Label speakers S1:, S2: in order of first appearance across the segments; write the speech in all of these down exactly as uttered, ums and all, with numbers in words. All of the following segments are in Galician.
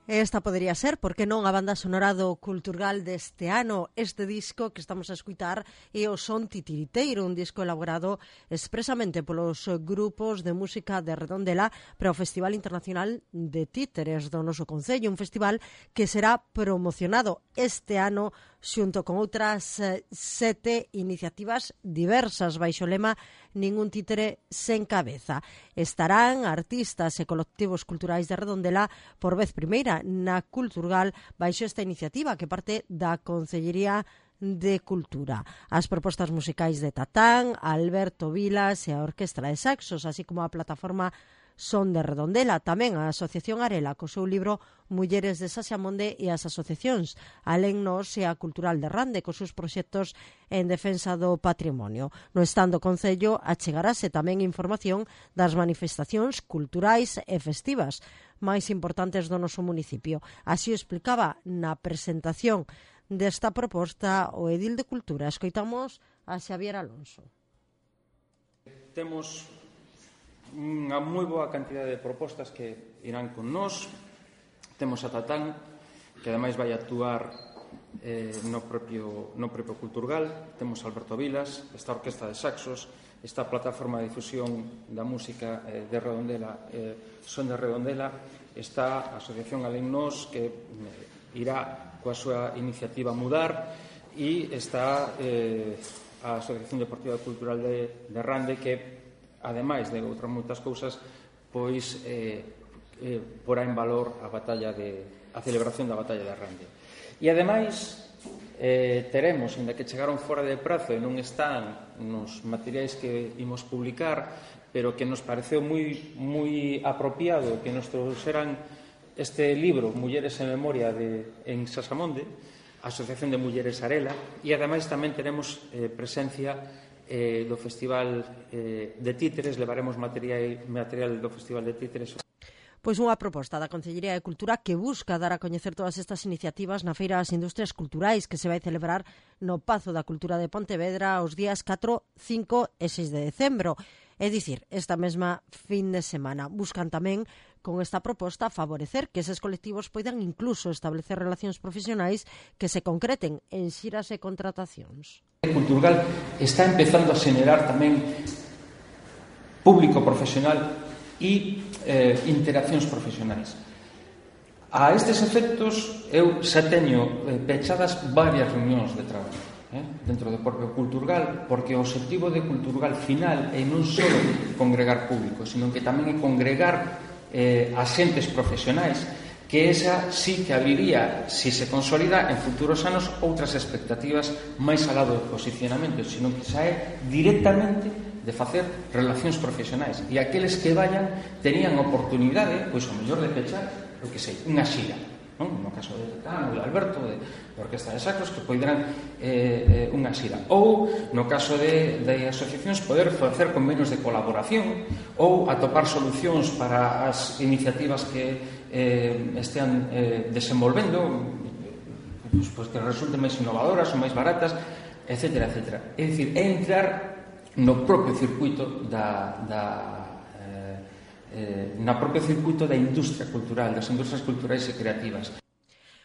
S1: Esta podería ser, por que non, a banda sonora do Culturgal deste ano. Este disco que estamos a escutar é o Son Titiriteiro, un disco elaborado expresamente polos grupos de música de Redondela para o Festival Internacional de Títeres do noso Concello, un festival que será promocionado este ano xunto con outras eh, sete iniciativas diversas baixo o lema Ningún títere sen cabeza. Estarán artistas e colectivos culturais de Redondela por vez primeira na Culturgal baixo esta iniciativa que parte da Concellería de Cultura. As propostas musicais de Tatán, Alberto Vilas e a Orquestra de Saxos, así como a plataforma Son de Redondela, tamén a Asociación Arela co seu libro Mulleres de Saxamonde e as asociacións Alén Nos e a Cultural de Rande cos seus proxectos en defensa do patrimonio. No stand do Concello achegarase tamén información das manifestacións culturais e festivas máis importantes do noso municipio. Así o explicaba na presentación desta proposta o edil de Cultura. Escoitamos a Xavier Alonso.
S2: Temos unha moi boa cantidade de propostas que irán con nós. Temos a Tatán, que ademais vai actuar eh, no, propio, no propio Culturgal. Temos a Alberto Vilas, esta Orquestra de Saxos, esta plataforma de difusión da música eh, de Redondela, eh, Son de Redondela, está a Asociación Alén Nos, que eh, irá coa súa iniciativa Mudar, e está eh, a Asociación Deportiva Cultural de, de Rande, que ademais de outras moitas cousas, pois eh, eh, porá en valor a batalla de, a celebración da batalla de Rande. E ademais eh, teremos, ainda que chegaron fora de prazo e non están nos materiais que imos publicar, pero que nos pareceu moi, moi apropiado que nos trouxeran este libro Mulleres en Memoria de, en Saxamonde, a Asociación de Mulleres Arela, e ademais tamén teremos eh, presencia Eh, do Festival eh, de Títeres. Levaremos material, material do Festival de Títeres.
S1: Pois unha proposta da Concellería de Cultura que busca dar a coñecer todas estas iniciativas na Feira das Industrias Culturais que se vai celebrar no Pazo da Cultura de Pontevedra os días catro, cinco e seis de decembro. É dicir, esta mesma fin de semana. Buscan tamén, con esta proposta, favorecer que eses colectivos poidan incluso establecer relacións profesionais que se concreten en xiras e contratacións.
S2: Culturgal está empezando a xenerar tamén público profesional e eh, interaccións profesionais. A estes efectos, eu xa teño eh, pechadas varias reunións de traballo eh, dentro do propio Culturgal, porque o objetivo de Culturgal final é non só congregar público, sino que tamén é congregar eh, axentes profesionais, que esa sí que abriría, si se consolida, en futuros anos outras expectativas máis alá do posicionamento, sino que xa é directamente de facer relacións profesionais. E aqueles que vayan terían oportunidade, pois o mellor de pechar, o que sei, unha xira, non? No caso de Tatán, de Alberto, de, de Orquestra de Sacros, que poderán eh, eh, unha xira. Ou, no caso de, de asociacións, poder facer convenios de colaboración ou atopar solucións para as iniciativas que eh, estean eh, desenvolvendo, pues, pues, que resulten máis innovadoras ou máis baratas, etcétera, etcétera. É dicir, é entrar no propio circuito da, da eh, eh, na propio circuito da industria cultural, das industrias culturais e creativas.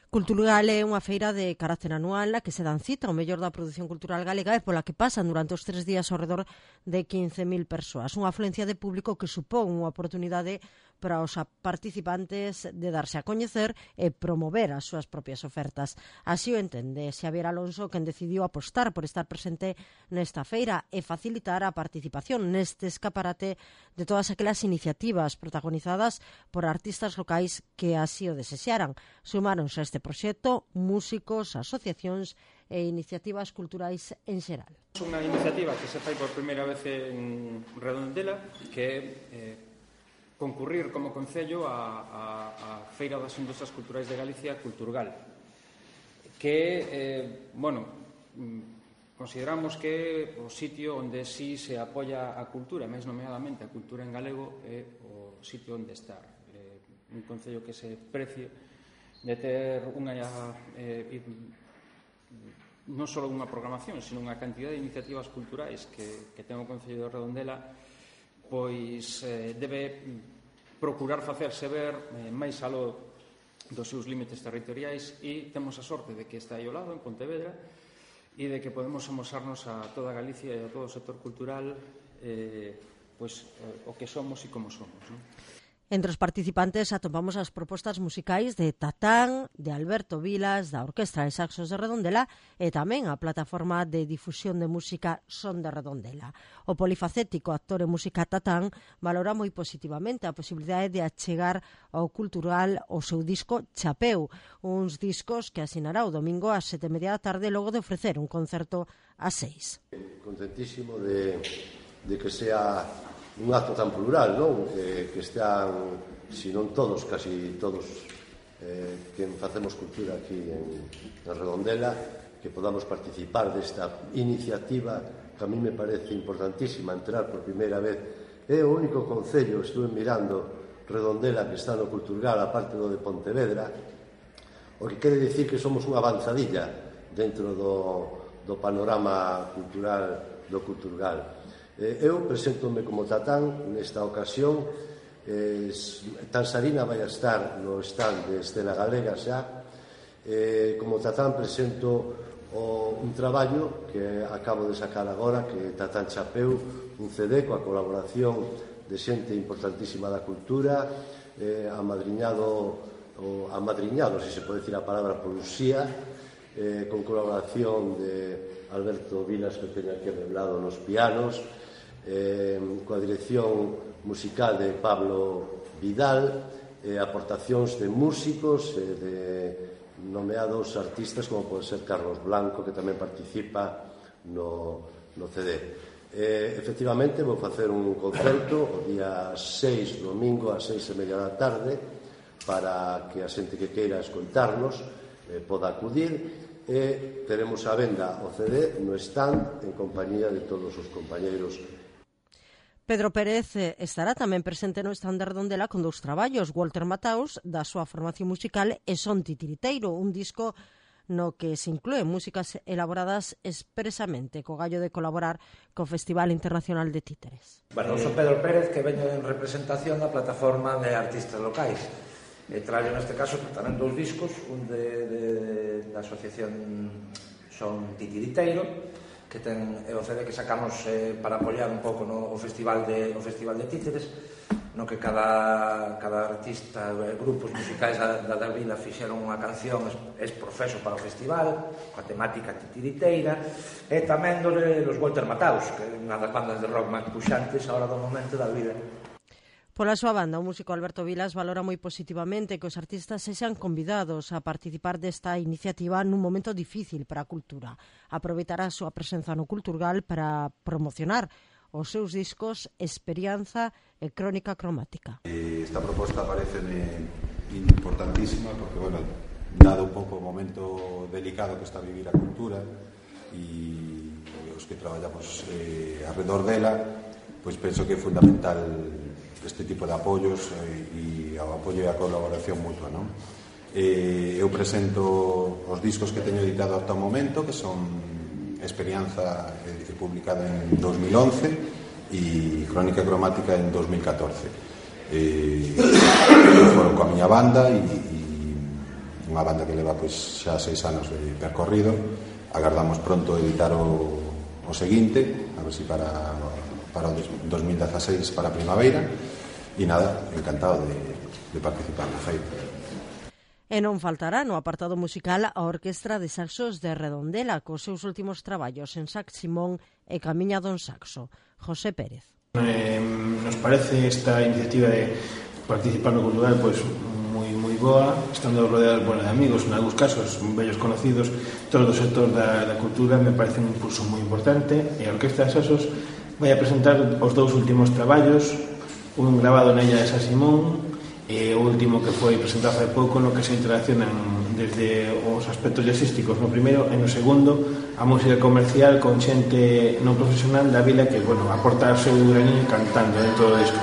S1: Culturgal é unha feira de carácter anual na que se dan cita o mellor da produción cultural galega e pola que pasan durante os tres días ao redor de quince mil persoas. Unha afluencia de público que supón unha oportunidade para os participantes de darse a coñecer e promover as súas propias ofertas. Así o entende Xavier Alonso, quen decidiu apostar por estar presente nesta feira e facilitar a participación neste escaparate de todas aquelas iniciativas protagonizadas por artistas locais que así o desexaran. Sumáronse a este proxecto músicos, asociacións e iniciativas culturais en xeral.
S2: É unha iniciativa que se fai por primeira vez en Redondela, que é eh, concurrir como Concello a, a, a Feira das Industrias Culturais de Galicia, Culturgal, que, eh, bueno, consideramos que o sitio onde sí se apoia a cultura, máis nomeadamente a cultura en galego, é o sitio onde estar. Eh, un Concello que se precie de ter unha eh, non só unha programación, sino unha cantidad de iniciativas culturais que, que ten o Concello de Redondela, pois eh, debe procurar facerse ver eh, máis aló dos seus límites territoriais, e temos a sorte de que está aí ao lado, en Pontevedra, e de que podemos amosarnos a toda Galicia e a todo o sector cultural eh, pois, eh, o que somos e como somos, non?
S1: Entre os participantes atopamos as propostas musicais de Tatán, de Alberto Vilas, da Orquestra de Saxos de Redondela e tamén a plataforma de difusión de música Son de Redondela. O polifacético actor e música Tatán valora moi positivamente a posibilidade de achegar ao cultural o seu disco Chapeu, uns discos que asinará o domingo ás sete e media da tarde logo de ofrecer un concerto ás seis.
S3: Contentísimo de, de que sea un acto tan plural, non? Eh, que estean, si non todos, casi todos eh, que facemos cultura aquí en, en Redondela, que podamos participar desta iniciativa que a mí me parece importantísima, entrar por primeira vez. É o único concello, estuve mirando Redondela, que está no Culturgal, a parte do de Pontevedra, o que quere dicir que somos unha avanzadilla dentro do, do panorama cultural do Culturgal. Eu preséntome como Tatán nesta ocasión. eh, Tansarina vai a estar no stand de Escena Galega xa. eh, Como Tatán presento o, un traballo que acabo de sacar agora, que é Tatán Chapeu, un C D coa colaboración de xente importantísima da cultura, eh, amadriñado, o amadriñado, se se pode dicir a palabra, por Uxía, eh, con colaboración de Alberto Vilas, que teño aquí revelado nos pianos, eh, coa dirección musical de Pablo Vidal, eh, aportacións de músicos e eh, de nomeados artistas como pode ser Carlos Blanco, que tamén participa no, no C D. Eh, efectivamente, vou facer un concerto o día seis, domingo, a seis e media da tarde, para que a xente que queira escoitarnos eh, poda acudir. E teremos a venda o C D no stand en compañía de todos os compañeiros.
S1: Pedro Pérez estará tamén presente no stand de Redondela con dous traballos, Walter Mataus, da súa formación musical, e Son Titiriteiro, un disco no que se inclúen músicas elaboradas expresamente co gallo de colaborar co Festival Internacional de Títeres.
S4: Bueno, eu son Pedro Pérez, que veño en representación da plataforma de artistas locais. E traio neste caso tamén dous discos, un de, de, da asociación Son Titiriteiro, que ten é o C D que sacamos eh, para apoiar un pouco no, o festival de o festival de Títeres, no que cada, cada artista, eh, grupos musicais da, da, da vila fixeron unha canción es, es profeso para o festival, coa temática titiriteira, e tamén dos, dos Walter Mataus, que é unha das bandas de rock máis puxantes agora do momento da vida.
S1: Pola súa banda, o músico Alberto Vilas valora moi positivamente que os artistas sexan convidados a participar desta iniciativa nun momento difícil para a cultura. Aproveitará a súa presenza no Culturgal para promocionar os seus discos Experianza e Crónica Cromática.
S5: Esta proposta parece importantísima porque, bueno, dado un pouco o momento delicado que está a vivir a cultura e os que traballamos eh, arredor dela, pois penso que é fundamental este tipo de apoios e, e o apoio e a colaboración mutua, non? Eh, eu presento os discos que teño editado ata o momento, que son Experianza, eh, publicada en dos mil once, e Crónica Cromática en dos mil catorce. Eh, foron coa miña banda e, e unha banda que leva pois, xa seis anos de percorrido. Agardamos pronto editar o, o seguinte, a ver se si para, para o dos mil dieciséis, para a primavera. E nada, encantado de, de participar na feita.
S1: E non faltará no apartado musical a Orquestra de Saxos de Redondela, cos seus últimos traballos en Sax Simón e Camiña don Saxo. José Pérez.
S6: Eh, nos parece esta iniciativa de participar no cultural pois moi moi boa, estando rodeados bueno, de amigos, en algúns casos vellos conocidos, todo o sector da, da cultura, me parece un impulso moi importante, e a Orquestra de Saxos vai a presentar os dous últimos traballos, un grabado na illa de San Simón e o último que foi presentado hai pouco, no que se interaccionan desde os aspectos jazzísticos no primeiro e no segundo a música comercial con xente non profesional da vila que, bueno, aporta o seu graniño cantando dentro do disco.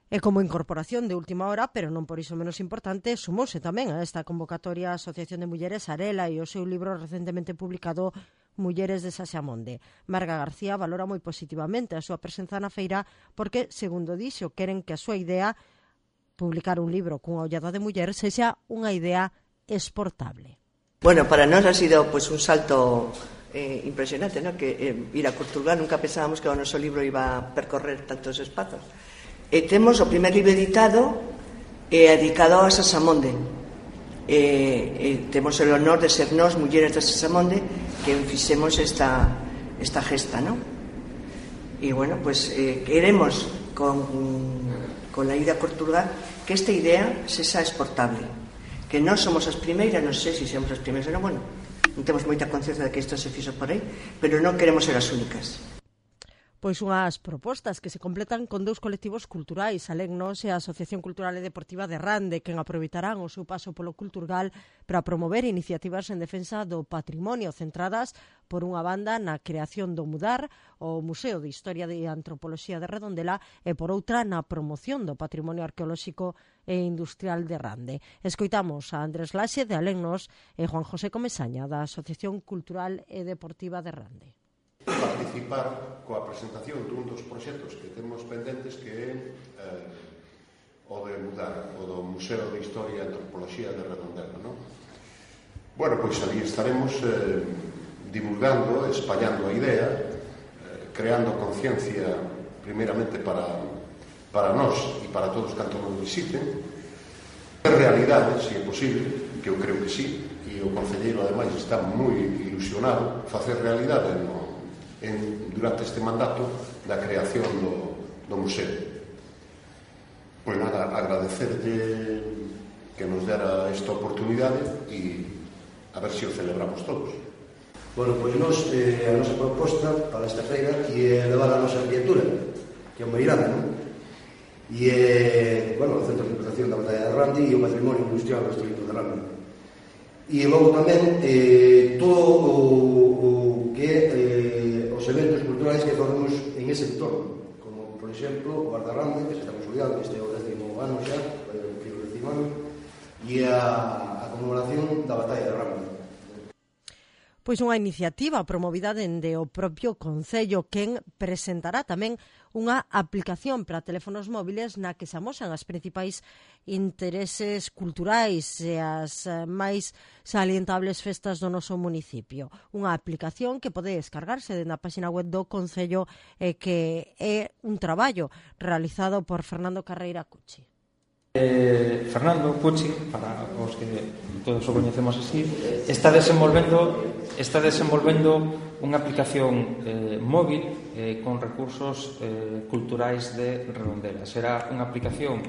S1: E como incorporación de última hora, pero non por iso menos importante, sumouse tamén a esta convocatoria a Asociación de Mulleres Arela e o seu libro recentemente publicado Mulleres de Saxamonde. Marga García valora moi positivamente a súa presenza na feira porque, segundo dixo, queren que a súa idea publicar un libro cunha ollada de muller sexa unha idea exportable.
S7: Bueno, para nós ha sido pues, un salto eh, impresionante, ¿no? Que eh, ir a Culturgal, nunca pensábamos que o noso libro iba a percorrer tantos espazos. E temos o primer libro editado eh, dedicado a Sasamonde. Eh, eh, temos o honor de ser nós, mulleres de Sasamonde, que fixemos esta, esta gesta, ¿no? E bueno, pues eh, queremos con, con la ida a Culturgal que esta idea sexa exportable, que non somos as primeiras, non sei se somos as primeiras, pero bueno, non temos moita conciencia de que isto se fixo por aí, pero non queremos ser as únicas.
S1: Pois unhas propostas que se completan con dous colectivos culturais, Alegnos e a Asociación Cultural e Deportiva de Rande, quen aproveitarán o seu paso polo Culturgal para promover iniciativas en defensa do patrimonio centradas por unha banda na creación do Mudar, o Museo de Historia e Antropoloxía de Redondela, e por outra na promoción do patrimonio arqueolóxico e industrial de Rande. Escoitamos a Andrés Laxe de Alegnos e Juan José Comesaña da Asociación Cultural e Deportiva de Rande.
S3: Participar coa presentación dun dos proxectos que temos pendentes, que é eh, o de Mudar, o do Museo de Historia e Antropoloxía de Redondela, non? Bueno, pois ali estaremos eh, divulgando, espallando a idea, eh, creando conciencia primeiramente para, para nós e para todos cantos nos visiten, en realidade, se é posible, que eu creo que sí, e o concelleiro ademais está moi ilusionado, facer realidade no En, durante este mandato da creación do, do museo. Pois nada, agradecerlle que nos dera esta oportunidade e a ver se o celebramos todos.
S8: Bueno, pois nos, eh, a nosa proposta para esta feira é levar a nosa criatura, que é o Meirande, non? E é, bueno, o Centro de Interpretación da Batalla de Rande e o Patrimonio Industrial do Distrito de Rande. E logo tamén eh, todo o, o que é eh, os eventos culturais que facemos en ese entorno, como, por exemplo, o Guardarrande, que se está consolidando, que este é o décimo ano xa, o décimo ano, e a, a conmemoración da Batalla de Rande.
S1: Pois unha iniciativa promovida dende o propio Concello, quen presentará tamén unha aplicación para teléfonos móviles na que se amosan as principais intereses culturais e as máis salientables festas do noso municipio. Unha aplicación que pode descargarse na página web do Concello e que é un traballo realizado por Fernando Carreira Cuchi.
S2: Eh, Fernando Cuchi, para os que todos o coñecemos así, está desenvolvendo está desenvolvendo unha aplicación eh, móvil eh, con recursos eh, culturais de Redondela. Será unha aplicación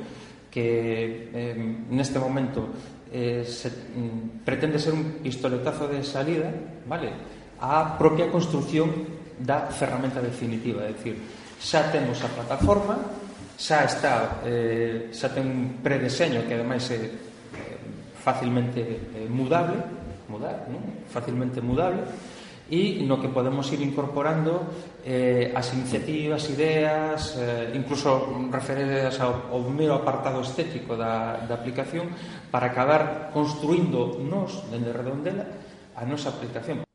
S2: que eh, neste momento eh, se, mm, pretende ser un pistoletazo de salida, vale, á propia construción da ferramenta definitiva, é dicir, xa temos a plataforma, xa está, eh, xa ten un predeseño que ademais é eh, facilmente eh, mudable, mudar, non? Facilmente mudable, e no que podemos ir incorporando eh, as iniciativas, ideas, eh, incluso referidas ao, ao mero apartado estético da, da aplicación, para acabar construindo nos, dende Redondela, a nosa aplicación.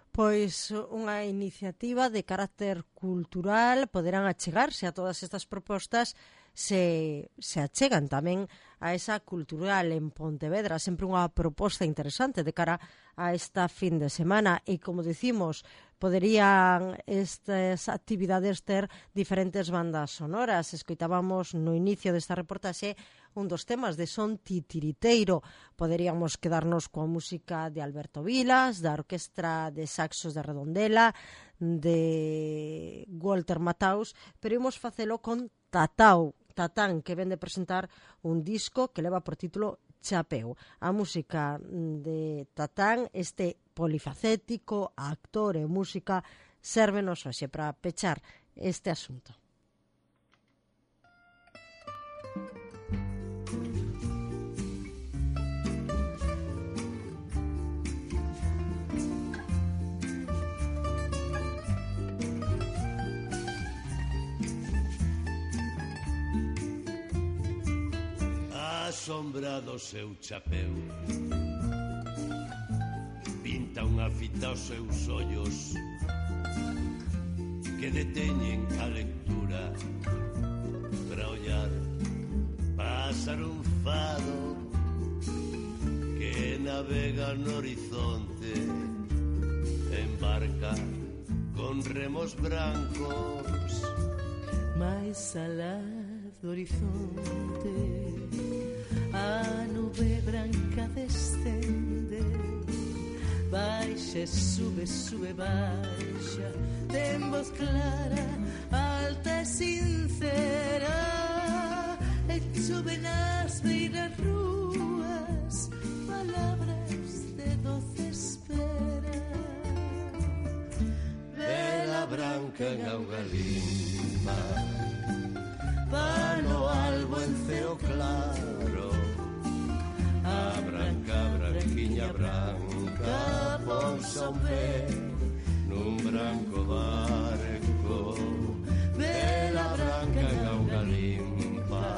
S1: Pois unha iniciativa de carácter cultural, poderán achegarse a todas estas propostas se, se achegan tamén a esa cultural en Pontevedra, sempre unha proposta interesante de cara a esta fin de semana e, como dicimos, poderían estas actividades ter diferentes bandas sonoras. Escoitábamos no inicio desta reportaxe un dos temas de son titiriteiro. Poderíamos quedarnos coa música de Alberto Vilas, da Orquestra de Saxos de Redondela, de Walter Mataus, pero imos facelo con Tatau, Tatán, que ven de presentar un disco que leva por título Chapeu. A música de Tatán, este polifacético, actor e música, sérvenos hoxe para pechar este asunto.
S9: A sombra do seu chapeu pinta unha fita aos seus ollos que deteñen a lectura para ollar para páxaro un fado que navega no horizonte, embarca con remos brancos.
S10: Mais alá do horizonte a nube branca descende, baixa, sube, sube, baixa, ten voz clara, alta e sincera, e chove nas beiras rúas palabras de doce espera.
S9: Vela branca en auga limpa, pano albo en ceo claro, a branca, branquiña branca, pousa un pé nun branco barco. Vela branca en auga limpa,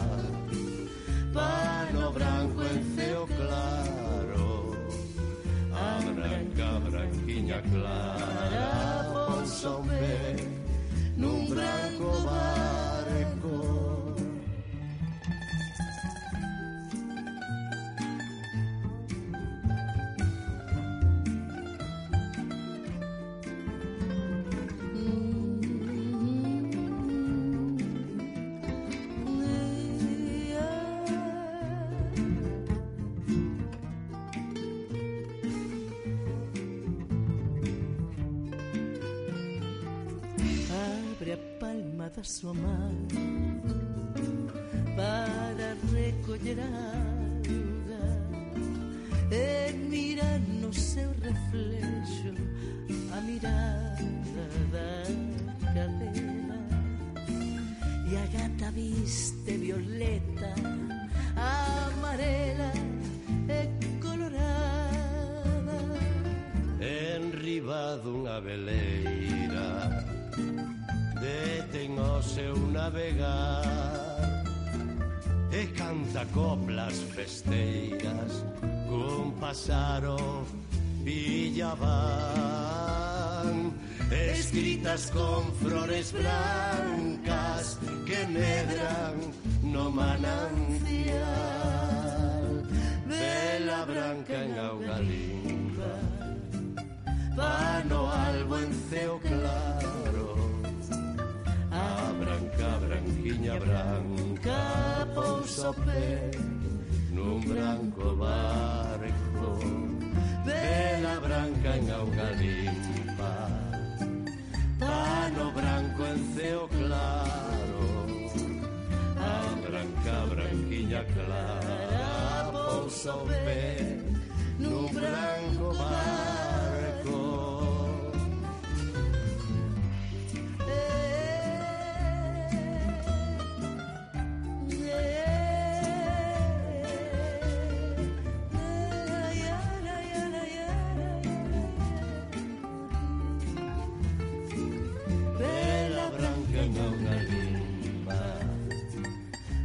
S9: pano branco en ceo claro, a branca, branquiña clara, pousa un pé nun branco barco.
S10: Da súa man para recoller auga e mira no seu reflexo a mirada da cadela, e a gata viste violeta, amarela e colorada.
S9: Enriba dunha veleira detén o seu navegar e canta coplas festeiras cun pasaro villaván, escritas con flores blancas que medran no manancial. Vela branca en auga limpa, pano albo en ceo claro, a branca, branquiña branca, pousa o pé nun branco barco. Vela branca en auga limpa, pano branco en ceo claro, a branca, branquiña clara, pousa o pé nun branco barco.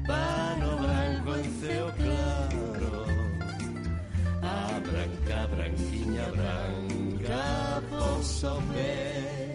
S9: Pano branco en ceo claro, a branca, branquiña branca, pousa o pé